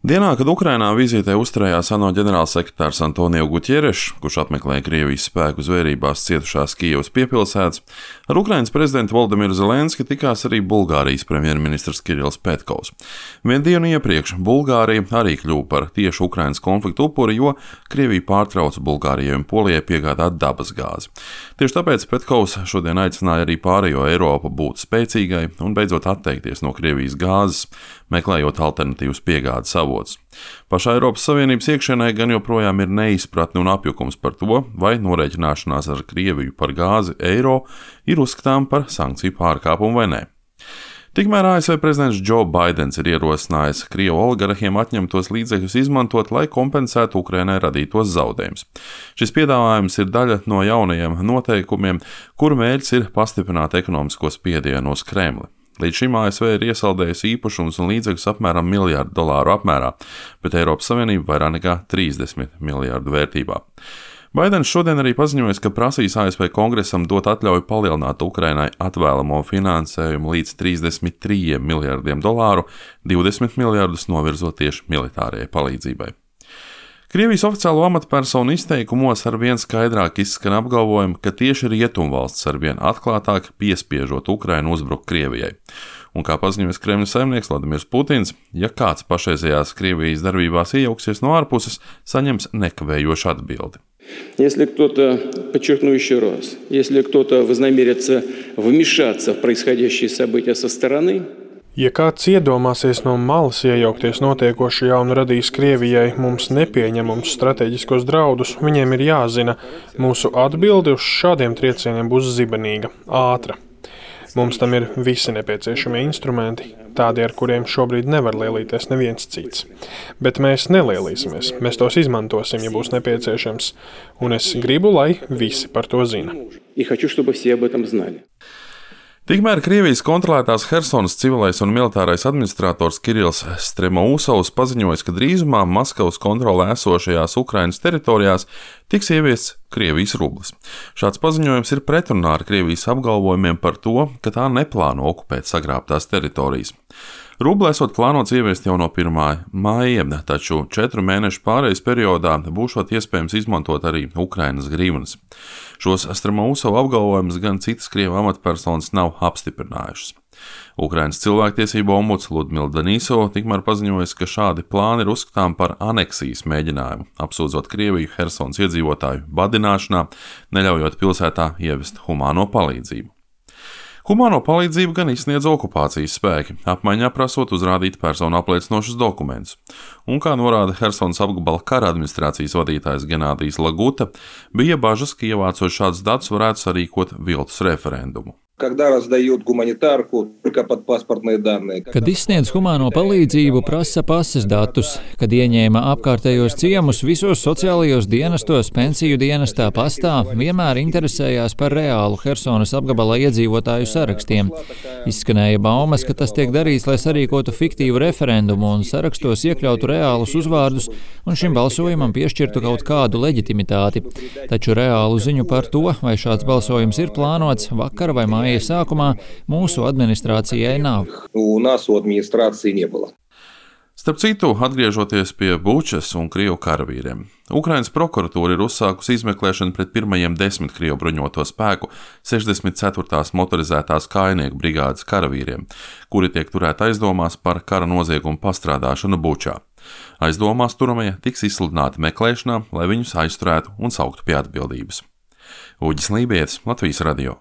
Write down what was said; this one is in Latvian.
Dienā, kad Ukrainā vizītē uzturējās ANO ģenerālsekretārs Antonio Guterres, kurš apmeklēja Krievijas spēku zvērībās cietušās Kijevas piepilsētas, ar Ukrainas prezidentu Volodimiru Zelenski tikās arī Bulgārijas premjerministrs Kirills Petkovs. Vienu dienu iepriekš Bulgārija arī kļuva par tieši Ukrainas konfliktu upuri, jo Krievija pārtrauca Bulgārijai un Polijai piegādāt dabas gāzi. Tieši tāpēc Petkovs šodien aicināja arī pārējo Eiropu būt spēcīgai un beidzot atteikties no Krievijas gāzes, meklējot alternatīvas piegādes avotus. Pašā Eiropas Savienības iekšienē gan joprojām ir neizpratne un apjukums par to, vai norēķināšanās ar Krieviju par gāzi eiro ir uzskatām par sankciju pārkāpumu vai nē. Tikmēr ASV prezidents Joe Baidens ir ierosinājis Krievu oligarhiem atņemtos līdzekļus izmantot, lai kompensētu Ukrainai radītos zaudējumus. Šis piedāvājums ir daļa no jaunajiem noteikumiem, kuru mērķis ir pastiprināt ekonomisko spiedienu uz Kremli. Līdz šim ASV ir iesaldējusi īpašumus un līdzekļus apmēram $1 miljardu apmērā, bet Eiropas Savienība vairāk nekā 30 miljardu vērtībā. Baidens šodien arī paziņoja, ka prasīs ASV kongresam dot atļauju palielināt Ukrainai atvēlamo finansējumu līdz $33 miljardiem, 20 miljardus novirzot tieši militārajai palīdzībai. Krievijas oficiālo amatpersonu izteikumos arvien skaidrāk izskan apgalvojumi, ka tieši rietumvalstis arvien atklātāk piespiežot Ukrainu uzbrukt Krievijai. Un kā paziņoja Kremļa saimnieks Vladimirs Putins, ja kāds pašreizējās Krievijas darbībās iejauksies no ārpuses, saņems nekavējošu atbildi. Если кто-то, подчеркну еще раз, если кто-то вознамерится вмешаться в происходящие события со стороны, ja kāds iedomāsies no malas iejaukties notiekošajā un radīs Krievijai mums nepieņemumus strateģiskos draudus, viņiem ir jāzina, mūsu atbilde uz šādiem triecieniem būs zibenīga, ātra. Mums tam ir visi nepieciešamie instrumenti, tādi, ar kuriem šobrīd nevar lielīties neviens cits. Bet mēs nelielīsimies, mēs tos izmantosim, ja būs nepieciešams, un es gribu, lai visi par to zina. Tikmēr Krievijas kontrolētās Hersonas civilais un militārais administrators Kirills Stremousovs paziņoja, ka drīzumā Maskavas kontrolē esošajās Ukrainas teritorijās tiks ieviests Krievijas rublis. Šāds paziņojums ir pretrunā ar Krievijas apgalvojumiem par to, ka tā neplāno okupēt sagrābtās teritorijas. Rubli esot plānots ieviest jau no 1. maija, taču 4 mēnešu pārejas periodā būšot iespējams izmantot arī Ukrainas grivnas. Šos Stremousova apgalvojumus gan citas Krievu amatpersonas nav apstiprinājušas. Ukrainas cilvēktiesību ombuds Ludmila Denisova tikmēr paziņoja, ka šādi plāni ir uzskatām par aneksijas mēģinājumu, apsūdzot Krieviju Hersonas iedzīvotāju badināšanā, neļaujot pilsētā ievest humāno palīdzību. Humāno palīdzību gan izsniedz okupācijas spēki, apmaiņā prasot uzrādīt personu apliecinošus dokumentus. Un, kā norāda Hersonas apgabala kara administrācijas vadītājs Genādijs Laguta, bija bažas, ka ievācot šādus datus varētu sarīkot viltus referendumu. Kad izsniedz humāno palīdzību, prasa pases datus, kad ieņēma apkārtējos ciemus visos sociālajos dienestos, pensiju dienestā, pastā, vienmēr interesējās par reālu Hersonas apgabala iedzīvotāju sarakstiem. Izskanēja baumas, ka tas tiek darīts, lai sarīkotu fiktīvu referendumu un sarakstos iekļautu reālus uzvārdus un šim balsojumam piešķirtu kaut kādu leģitimitāti. Taču reālu ziņu par to, vai šāds balsojums ir plānots vakar vai māja sākumā, mūsu administrācijai nav. Starp citu, atgriežoties pie Bučas un Krievu karavīriem, Ukrainas prokuratūra ir uzsākusi izmeklēšanu pret pirmajiem 10 Krievu bruņoto spēku 64. motorizētās kājnieku brigādes karavīriem, kuri tiek turēti aizdomās par kara noziegumu pastrādāšanu Bučā. Aizdomās turamie tiks izsludināti meklēšanā, lai viņus aizturētu un sauktu pie atbildības. Uģis Lībietis, Latvijas radio.